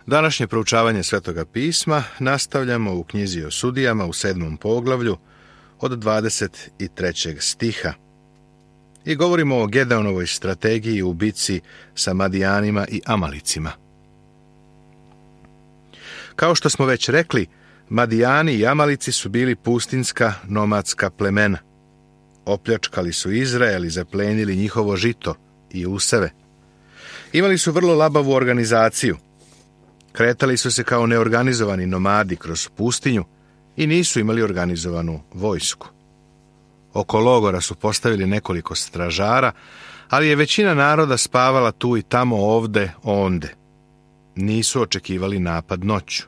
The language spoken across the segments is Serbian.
Današnje proučavanje Svetoga pisma nastavljamo u knjizi o sudijama u 7. poglavlju od 23. stiha. I govorimo o Gedeonovoj strategiji u bitci sa Madijanima i Amalicima. Kao što smo već rekli, Madijani i Amalici su bili pustinska nomadska plemena. Opljačkali su Izrael i zaplenili njihovo žito i useve. Imali su vrlo labavu organizaciju. Kretali su se kao neorganizovani nomadi kroz pustinju i nisu imali organizovanu vojsku. Oko logora su postavili nekoliko stražara, ali je većina naroda spavala tu i tamo, ovde, onde. Nisu očekivali napad noću.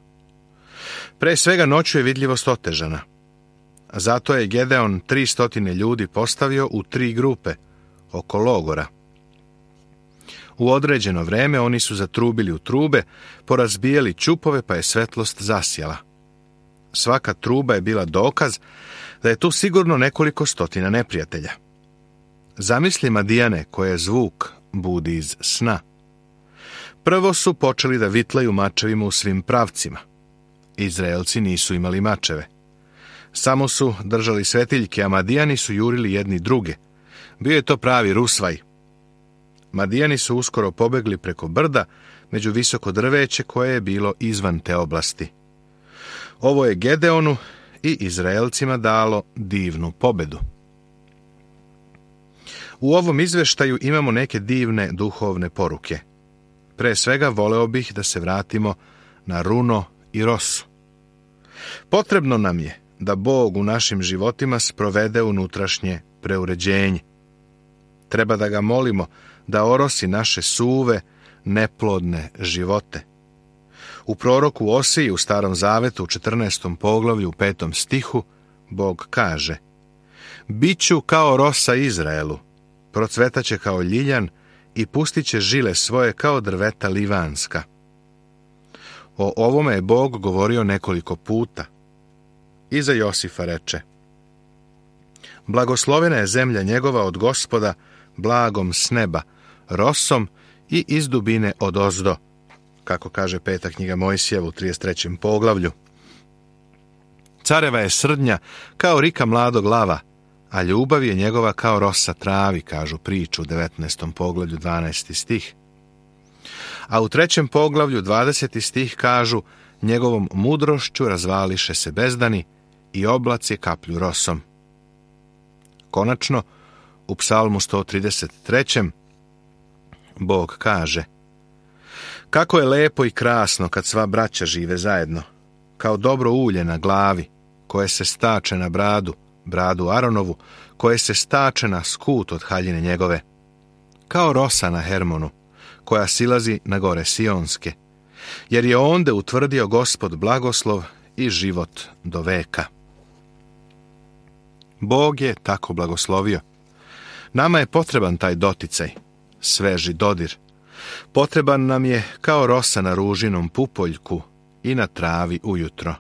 Pre svega noću je vidljivost otežana. Zato je Gedeon 300 ljudi postavio u 3 grupe oko logora. U određeno vreme oni su zatrubili u trube, porazbijali ćupove pa je svetlost zasjala. Svaka truba je bila dokaz da je tu sigurno nekoliko stotina neprijatelja. Zamisli Madijane koje zvuk budi iz sna. Prvo su počeli da vitlaju mačevima u svim pravcima. Izraelci nisu imali mačeve. Samo su držali svetiljke, a Madijani su jurili jedni druge. Bio je to pravi rusvaj. Madijani su uskoro pobegli preko brda među visoko drveće koje je bilo izvan te oblasti. Ovo je Gedeonu i Izraelcima dalo divnu pobedu. U ovom izveštaju imamo neke divne duhovne poruke. Pre svega voleo bih da se vratimo na runo i rosu. Potrebno nam je da Bog u našim životima sprovede unutrašnje preuređenje. Treba da ga molimo da orosi naše suve, neplodne živote. U proroku Osiji u Starom Zavetu u 14. poglavlju u 5. stihu Bog kaže: Biću kao rosa Izraelu, procvetaće kao ljiljan i pustit će žile svoje kao drveta livanska. O ovome je Bog govorio nekoliko puta. I za Josifa reče: Blagoslovena je zemlja njegova od Gospoda, blagom s neba, rosom i iz dubine odozdo, kako kaže 5. knjiga Mojsijeva u 33. poglavlju. Careva je srdnja kao rika mladog lava, a ljubav je njegova kao rosa travi, kažu priču u 19. poglavlju 12. stih. A u 3. poglavlju 20. stih kažu: njegovom mudrošću razvališe se bezdani i oblaci kaplju rosom. Konačno, u Psalmu 133. Bog kaže: kako je lepo i krasno kad sva braća žive zajedno, kao dobro ulje na glavi, koje se stače na bradu Aronovu, koje se stače na skut od haljine njegove, kao rosa na Hermonu, koja silazi na gore Sionske, jer je onde utvrdio Gospod blagoslov i život do veka. Bog je tako blagoslovio. Nama je potreban taj doticaj, sveži dodir. Potreban nam je kao rosa na ružinom pupoljku i na travi ujutro.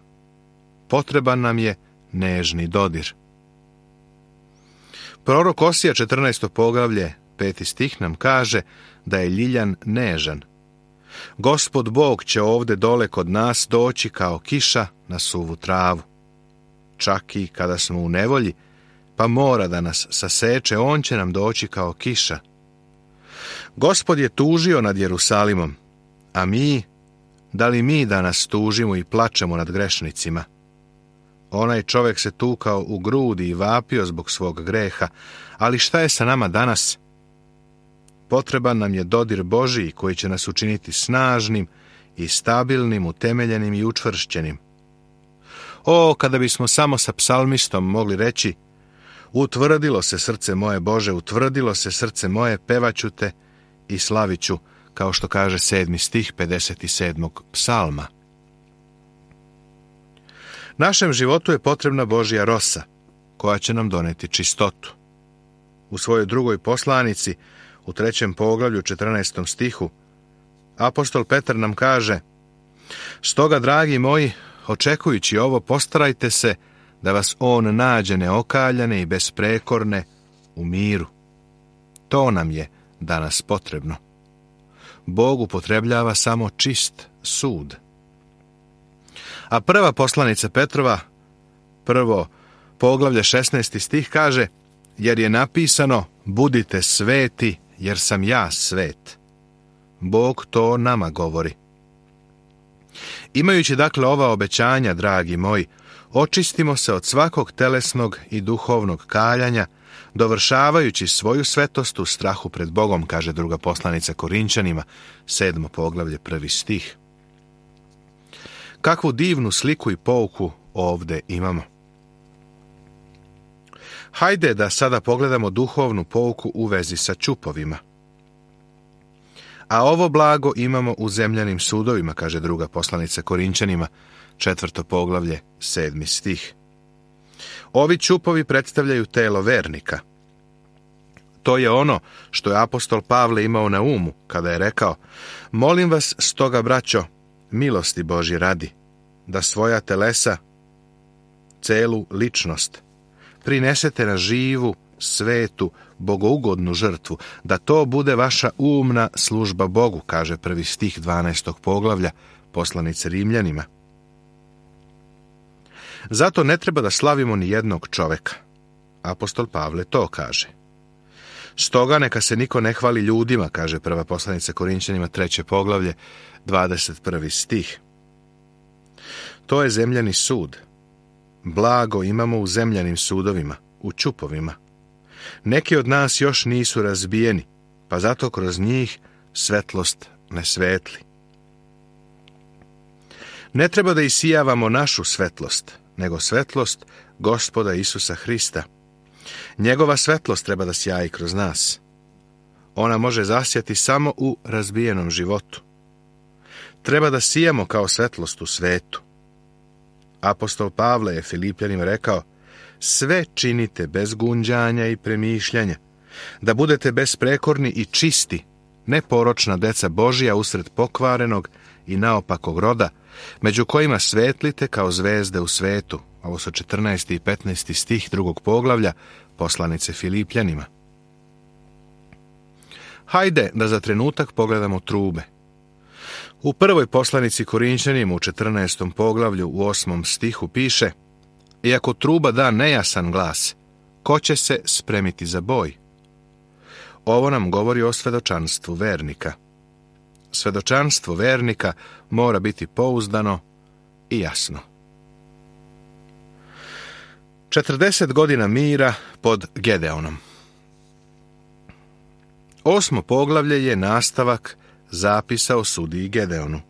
Potreban nam je nežni dodir. Prorok Osija 14. poglavlje 5. stih nam kaže da je ljiljan nežan. Gospod Bog će ovde dole kod nas doći kao kiša na suvu travu. Čak i kada smo u nevolji, pa mora da nas saseče, on će nam doći kao kiša. Gospod je tužio nad Jerusalimom, a da li mi danas tužimo i plačemo nad grešnicima? Onaj čovjek se tukao u grudi i vapio zbog svog greha, ali šta je sa nama danas? Potreban nam je dodir Božiji koji će nas učiniti snažnim i stabilnim, utemeljenim i učvršćenim. O, kada bismo samo sa psalmistom mogli reći: utvrdilo se srce moje, Bože, utvrdilo se srce moje, pevaću te i slaviću, kao što kaže 7. stih 57. psalma. Našem životu je potrebna Božja rosa, koja će nam doneti čistotu. U svojoj drugoj poslanici, u 3. poglavlju 14. stihu, apostol Petar nam kaže: stoga, dragi moji, očekujući ovo, postarajte se da vas on nađe neokaljane i besprekorne u miru. To nam je danas potrebno. Bog upotrebljava samo čist sud. A prva poslanica Petrova, prvo poglavlje 16. stih kaže: jer je napisano, budite sveti, jer sam ja svet. Bog to nama govori. Imajući dakle ova obećanja, dragi moji, očistimo se od svakog telesnog i duhovnog kaljanja, dovršavajući svoju svetost u strahu pred Bogom, kaže druga poslanica Korinčanima, 7. poglavlje, 1. stih. Kakvu divnu sliku i pouku ovde imamo. Hajde da sada pogledamo duhovnu pouku u vezi sa ćupovima. A ovo blago imamo u zemljanim sudovima, kaže druga poslanica Korinčanima, 4. poglavlje, 7. stih. Ovi ćupovi predstavljaju telo vernika. To je ono što je apostol Pavle imao na umu kada je rekao: molim vas stoga, braćo, milosti Božje radi, da svoja telesa, celu ličnost, prinesete na živu, svetu, bogougodnu žrtvu, da to bude vaša umna služba Bogu, kaže 1. stih 12. poglavlja poslanice Rimljanima. Zato ne treba da slavimo ni jednog čoveka. Apostol Pavle to kaže. Stoga neka se niko ne hvali ljudima, kaže prva poslanica Korinčanima, 3. poglavlje, 21. stih. To je zemljani sud. Blago imamo u zemljanim sudovima, u ćupovima. Neki od nas još nisu razbijeni, pa zato kroz njih svetlost ne svetli. Ne treba da isijavamo našu svetlost, nego svetlost Gospoda Isusa Hrista. Njegova svetlost treba da sjaji kroz nas. Ona može zasjati samo u razbijenom životu. Treba da sijamo kao svetlost u svetu. Apostol Pavle je Filipljanima rekao: sve činite bez gunđanja i premišljanja, da budete besprekorni i čisti, neporočna deca Božija usred pokvarenog i naopakog roda, među kojima svetlite kao zvezde u svetu. Ovo su 14. i 15. stih 2. poglavlja poslanice Filipljanima. Hajde da za trenutak pogledamo trube. U prvoj poslanici Korinčanima u 14. poglavlju u 8. stihu piše: i ako truba da nejasan glas, ko će se spremiti za boj? Ovo nam govori o svedočanstvu vernika. Svedočanstvo vernika mora biti pouzdano i jasno. 40 godina mira pod Gedeonom. 8. poglavlje je nastavak zapisa o sudiji Gedeonu.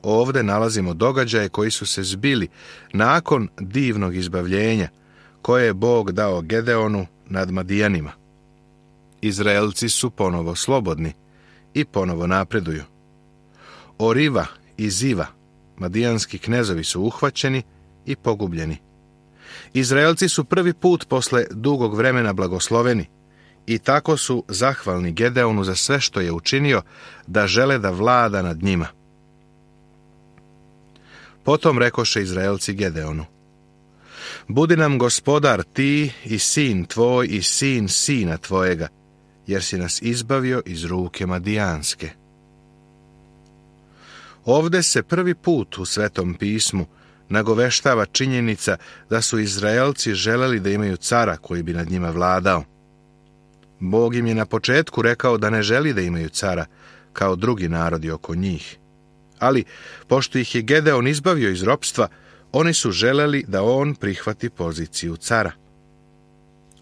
Ovde nalazimo događaje koji su se zbili nakon divnog izbavljenja koje je Bog dao Gedeonu nad Madijanima. Izraelci su ponovo slobodni i ponovo napreduju. Oriva i Ziva, madijanski knezovi, su uhvaćeni i pogubljeni. Izraelci su prvi put posle dugog vremena blagosloveni i tako su zahvalni Gedeonu za sve što je učinio, da žele da vlada nad njima. Potom rekoše Izraelci Gedeonu: budi nam gospodar ti i sin tvoj i sin sina tvojega, jer si nas izbavio iz ruke Madijanske. Ovde se prvi put u Svetom pismu nagoveštava činjenica da su Izraelci želeli da imaju cara koji bi nad njima vladao. Bog im je na početku rekao da ne želi da imaju cara kao drugi narodi oko njih. Ali, pošto ih je Gedeon izbavio iz ropstva, oni su želeli da on prihvati poziciju cara.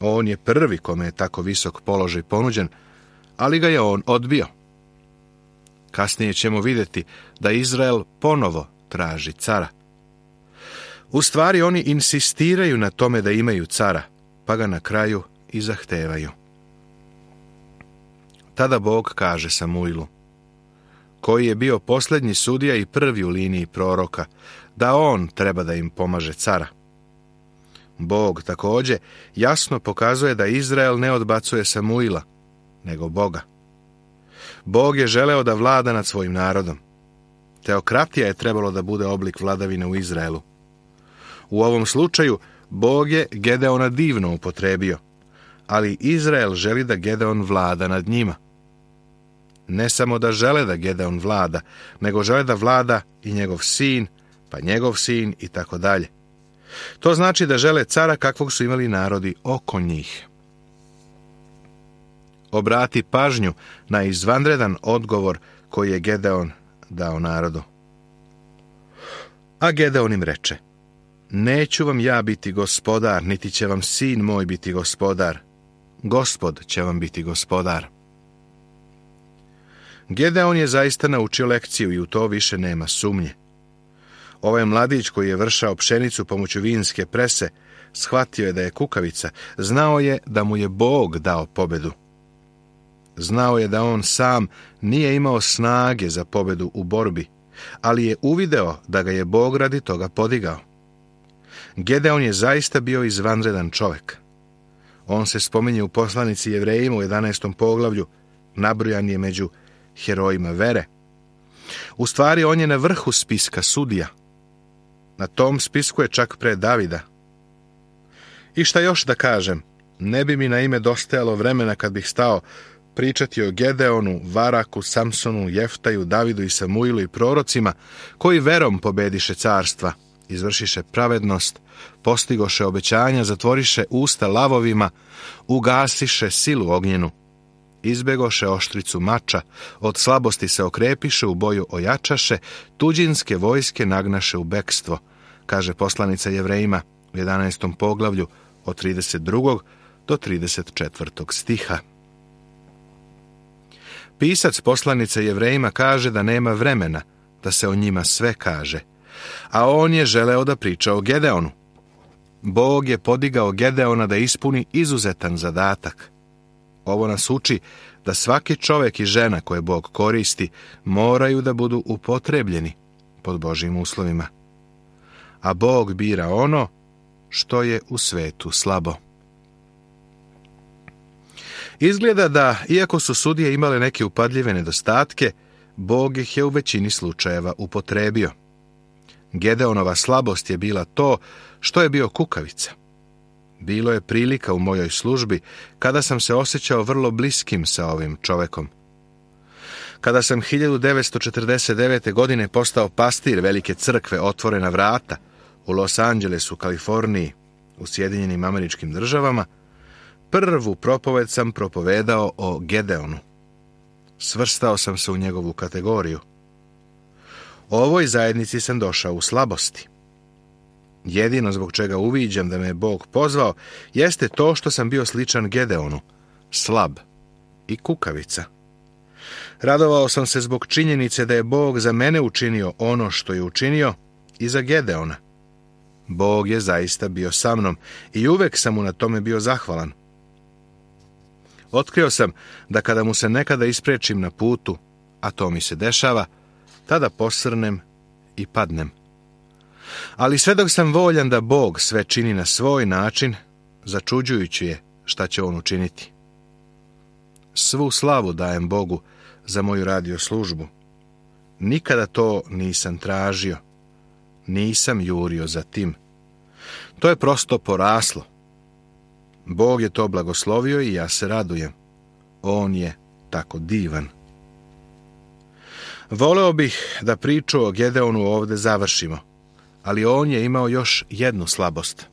On je prvi kome je tako visok položaj ponuđen, ali ga je on odbio. Kasnije ćemo vidjeti da Izrael ponovo traži cara. U stvari oni insistiraju na tome da imaju cara, pa ga na kraju i zahtevaju. Tada Bog kaže Samuilu, koji je bio posljednji sudija i prvi u liniji proroka, da on treba da im pomaže cara. Bog također jasno pokazuje da Izrael ne odbacuje Samuila, nego Boga. Bog je želeo da vlada nad svojim narodom. Teokratija je trebalo da bude oblik vladavine u Izraelu. U ovom slučaju Bog je Gedeona divno upotrebio, ali Izrael želi da Gedeon vlada nad njima. ne samo da žele da Gedeon vlada, nego žele da vlada i njegov sin, pa njegov sin i tako dalje. To znači da žele cara kakvog su imali narodi oko njih. Obrati pažnju na izvanredan odgovor koji je Gedeon dao narodu. A Gedeon im reče: neću vam ja biti gospodar, niti će vam sin moj biti gospodar. Gospod će vam biti gospodar. Gedeon je zaista naučio lekciju i u to više nema sumnje. Ovaj mladić koji je vršao pšenicu pomoću vinske prese, shvatio je da je kukavica, znao je da mu je Bog dao pobedu. Znao je da on sam nije imao snage za pobedu u borbi, ali je uvideo da ga je Bog radi toga podigao. Gedeon je zaista bio izvanredan čovjek. On se spominje u poslanici Jevrejima u 11. poglavlju, nabrojan je među herojima vere. U stvari, on je na vrhu spiska sudija. Na tom spisku je čak pre Davida. I šta još da kažem, ne bi mi na ime dostajalo vremena kad bih stao pričati o Gedeonu, Varaku, Samsonu, Jeftaju, Davidu i Samuilu i prorocima, koji verom pobediše carstva, izvršiše pravednost, postigoše obećanja, zatvoriše usta lavovima, ugasiše silu ognjenu, izbegoše oštricu mača, od slabosti se okrepiše, u boju ojačaše, tuđinske vojske nagnaše u bekstvo, kaže poslanica Jevrejima u 11. poglavlju od 32. do 34. stiha. Pisac poslanice Jevrejima kaže da nema vremena da se o njima sve kaže, a on je želeo da priča o Gedeonu. Bog je podigao Gedeona da ispuni izuzetan zadatak. Ovo nas uči da svaki čovjek i žena koje Bog koristi moraju da budu upotrebljeni pod Božjim uslovima. A Bog bira ono što je u svetu slabo. Izgleda da, iako su sudije imale neke upadljive nedostatke, Bog ih je u većini slučajeva upotrebio. Gedeonova slabost je bila to što je bio kukavica. Bilo je prilika u mojoj službi kada sam se osjećao vrlo bliskim sa ovim čovekom. Kada sam 1949. godine postao pastir velike crkve Otvorena vrata u Los Angelesu, Kaliforniji, u Sjedinjenim Američkim Državama, prvu propoved sam propovedao o Gedeonu. Svrstao sam se u njegovu kategoriju. Ovoj zajednici sam došao u slabosti. Jedino zbog čega uviđam da me je Bog pozvao jeste to što sam bio sličan Gedeonu, slab i kukavica. Radovao sam se zbog činjenice da je Bog za mene učinio ono što je učinio i za Gedeona. Bog je zaista bio sa mnom i uvek sam mu na tome bio zahvalan. Otkrio sam da kada mu se nekada isprečim na putu, a to mi se dešava, tada posrnem i padnem. Ali sve dok sam voljan da Bog sve čini na svoj način, začuđujući je šta će on učiniti. Svu slavu dajem Bogu za moju radio službu. Nikada to nisam tražio. Nisam jurio za tim. To je prosto poraslo. Bog je to blagoslovio i ja se radujem. On je tako divan. Voleo bih da priču o Gedeonu ovde završimo, ali on je imao još jednu slabost.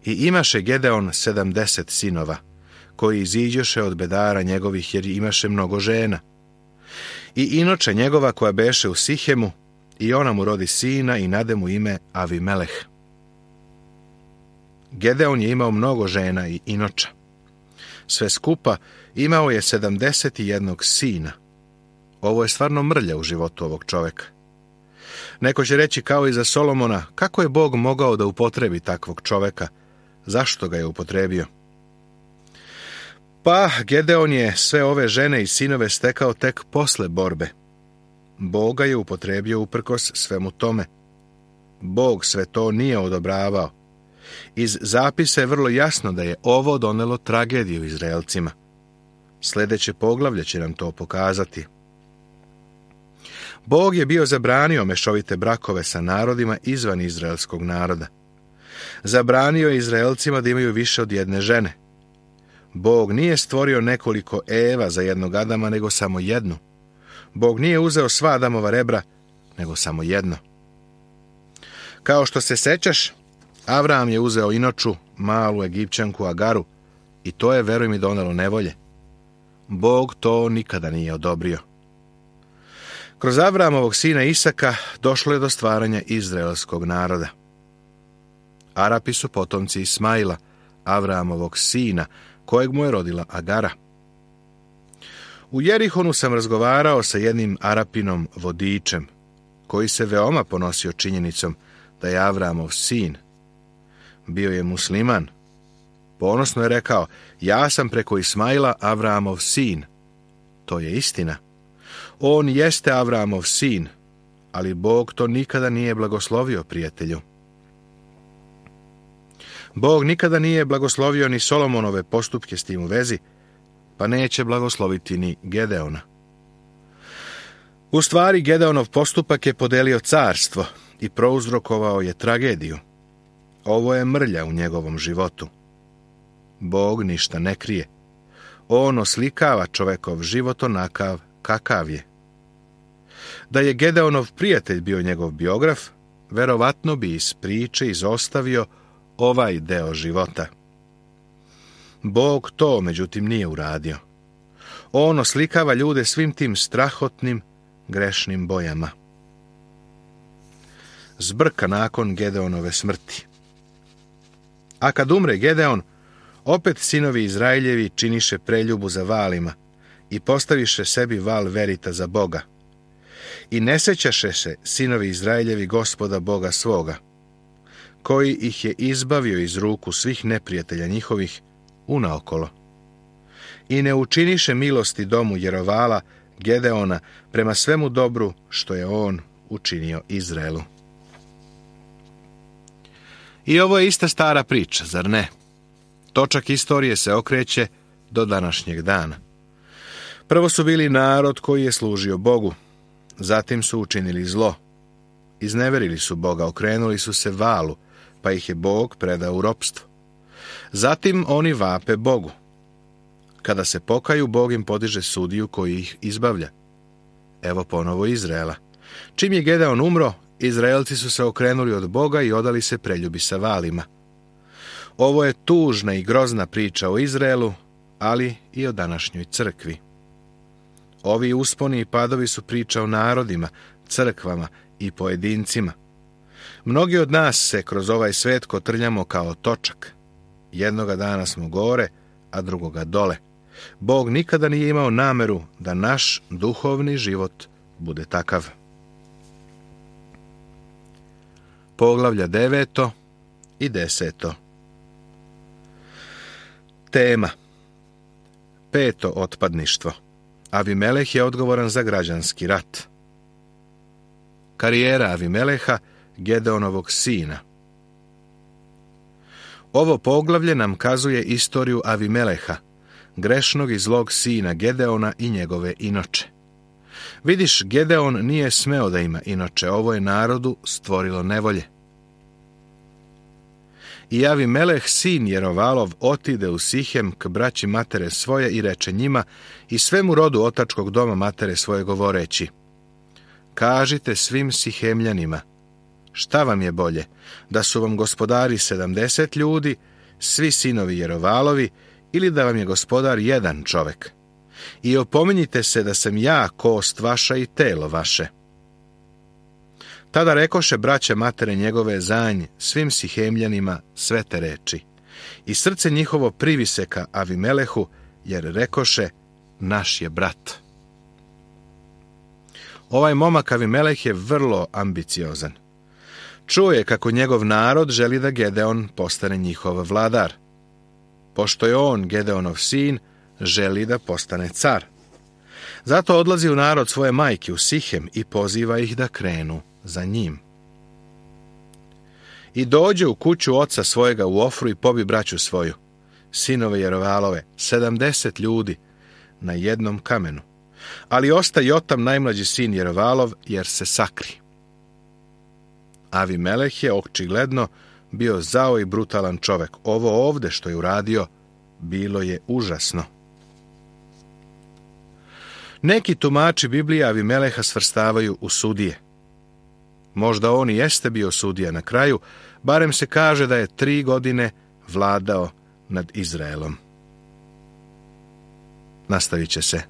I imaše Gedeon 70 sinova, koji iziđoše od bedara njegovih, jer imaše mnogo žena. I inoče njegova koja beše u Sihemu, i ona mu rodi sina i nade mu ime Avimeleh. Gedeon je imao mnogo žena i inoča. Sve skupa imao je 71 sina. Ovo je stvarno mrlja u životu ovog čoveka. Neko će reći kao i za Solomona, kako je Bog mogao da upotrebi takvog čoveka? Zašto ga je upotrebio? Pa, Gedeon je sve ove žene i sinove stekao tek posle borbe. Bog ga je upotrebio uprkos svemu tome. Bog sve to nije odobravao. Iz zapisa je vrlo jasno da je ovo donelo tragediju Izraelcima. Sljedeće poglavlje će nam to pokazati. Bog je bio zabranio mešovite brakove sa narodima izvan izraelskog naroda. Zabranio je Izraelcima da imaju više od jedne žene. Bog nije stvorio nekoliko Eva za jednog Adama, nego samo jednu. Bog nije uzeo sva Adamova rebra, nego samo jedno. Kao što se sećaš, Avram je uzeo inoču, malu Egipćanku Agaru, i to je, veruj mi, donelo nevolje. Bog to nikada nije odobrio. Kroz Avramovog sina Isaka došlo je do stvaranja izraelskog naroda. Arapi su potomci Ismaila, Avramovog sina, kojeg mu je rodila Agara. U Jerihonu sam razgovarao sa jednim Arapinom vodičem, koji se veoma ponosio činjenicom da je Avramov sin. Bio je musliman. Ponosno je rekao, ja sam preko Ismaila Avramov sin. To je istina. On jeste Avramov sin, ali Bog to nikada nije blagoslovio, prijatelju. Bog nikada nije blagoslovio ni Solomonove postupke s tim u vezi, pa neće blagosloviti ni Gedeona. U stvari, Gedeonov postupak je podelio carstvo i prouzrokovao je tragediju. Ovo je mrlja u njegovom životu. Bog ništa ne krije. On oslikava čovekov život onakav kakav je. Da je Gedeonov prijatelj bio njegov biograf, verovatno bi iz priče izostavio ovaj deo života. Bog to, međutim, nije uradio. On oslikava ljude svim tim strahotnim, grešnim bojama. Zbrka nakon Gedeonove smrti. A kad umre Gedeon, opet sinovi Izraeljevi činiše preljubu za valima i postaviše sebi val verita za Boga. I ne sećaše se sinovi Izraeljevi Gospoda Boga svoga, koji ih je izbavio iz ruku svih neprijatelja njihovih unaokolo. I ne učiniše milosti domu Jerovala, Gedeona, prema svemu dobru što je on učinio Izraelu. I ovo je ista stara priča, zar ne? Točak istorije se okreće do današnjeg dana. Prvo su bili narod koji je služio Bogu, zatim su učinili zlo. Izneverili su Boga, okrenuli su se valu, pa ih je Bog predao u ropstvo. Zatim oni vape Bogu. Kada se pokaju, Bog im podiže sudiju koji ih izbavlja. Evo ponovo Izraela. Čim je Gedeon umro, Izraelci su se okrenuli od Boga i odali se preljubi sa valima. Ovo je tužna i grozna priča o Izraelu, ali i o današnjoj crkvi. Ovi usponi i padovi su priča o narodima, crkvama i pojedincima. Mnogi od nas se kroz ovaj svet kotrljamo kao točak. Jednoga dana smo gore, a drugoga dole. Bog nikada nije imao nameru da naš duhovni život bude takav. Poglavlja 9. i 10. Tema. 5. Otpadništvo. Avimeleh je odgovoran za građanski rat. Karijera Avimeleha, Gedeonovog sina. Ovo poglavlje nam kazuje istoriju Avimeleha, grešnog i zlog sina Gedeona i njegove inoče. Vidiš, Gedeon nije smeo da ima inoče, ovo je narodu stvorilo nevolje. I Avimeleh, sin Jerovalov, otide u Sihem k braći matere svoje i reče njima i svemu rodu otačkog doma matere svoje govoreći: kažite svim Sihemljanima, šta vam je bolje, da su vam gospodari 70 ljudi, svi sinovi Jerovalovi, ili da vam je gospodar jedan čovek? I opominjite se da sam ja kost vaša i telo vaše. Tada rekoše braće matere njegove zanj svim Sihemljanima sve te reči. I srce njihovo privise ka Avimelehu, jer rekoše: naš je brat. Ovaj momak Avimeleh je vrlo ambiciozan. Čuo je kako njegov narod želi da Gedeon postane njihov vladar. Pošto je on, Gedeonov sin, želi da postane car. Zato odlazi u narod svoje majke u Sihem i poziva ih da krenu za njim. I dođe u kuću oca svojega u Ofru i pobi braću svoju, sinove Jerovalove, 70 ljudi, na jednom kamenu. Ali osta Jotam, najmlađi sin Jerovalov, jer se sakri. Avimeleh je očigledno bio zao i brutalan čovek. Ovo ovde što je uradio bilo je užasno. Neki tumači Biblije Avimeleha svrstavaju u sudije. Možda on i jeste bio sudija na kraju, barem se kaže da je 3 godine vladao nad Izraelom. Nastavit će se